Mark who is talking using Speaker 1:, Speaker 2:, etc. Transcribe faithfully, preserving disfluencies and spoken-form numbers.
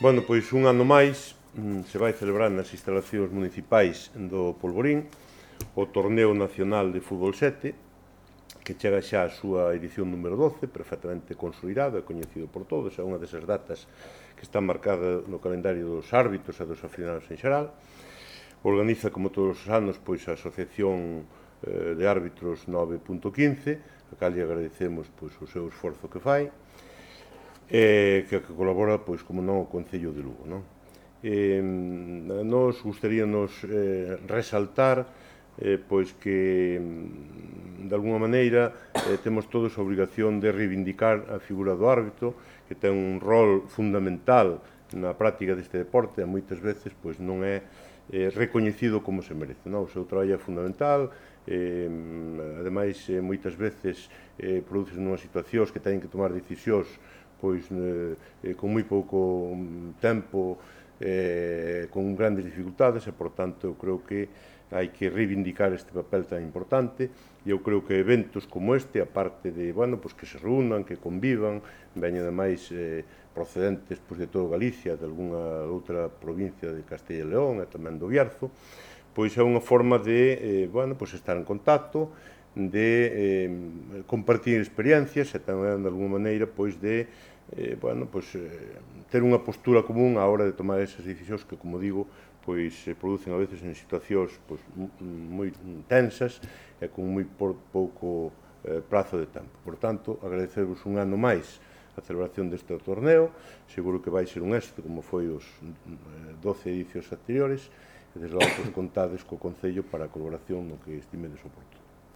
Speaker 1: Bueno, pois un ano máis se vai celebrar nas instalacións municipais do Polvorín o Torneo Nacional de Fútbol sete, que chega xa a súa edición número doce, perfectamente consolidado e coñecido por todos, é unha desas datas que está marcada no calendario dos árbitros e dos aficionados en xeral. Organiza, como todos os anos, pois a Asociación de Árbitros nove punto quince, a cal lle agradecemos pois, o seu esforzo que fai, e que colabora, pois, como non, o Concello de Lugo, non? Eh, nos gustaríanos eh, resaltar eh, pois que de alguna maneira eh, temos todos a obrigación de reivindicar a figura do árbitro, que ten un rol fundamental na práctica deste deporte e moitas veces pois non é eh, recoñecido como se merece, non? O seu traballo é fundamental, eh, ademais eh, moitas veces eh, produce nunhas situacións que teñen que tomar decisións pois eh, con moi pouco tempo, eh, con grandes dificultades e, por tanto, eu creo que hai que reivindicar este papel tan importante e eu creo que eventos como este, aparte de, bueno, pues que se reúnan, que convivan, veñen ademais eh, procedentes pues, de todo Galicia, de algunha outra provincia de Castella e León e tamén do Bierzo, pois é unha forma de, eh, bueno, pues estar en contacto, de eh, compartir experiencias e tamén, de alguma maneira, pois de eh, bueno, pois, eh, ter unha postura común á hora de tomar esas decisións que, como digo, pois se producen a veces en situacións pois, moi tensas e con moi pouco eh, prazo de tempo. Por tanto, agradecervos un ano máis a celebración deste torneo, seguro que vai ser un éxito como foi os doce edicións anteriores, e desde logo contades co Concello para a colaboración no que estimedes oportuno.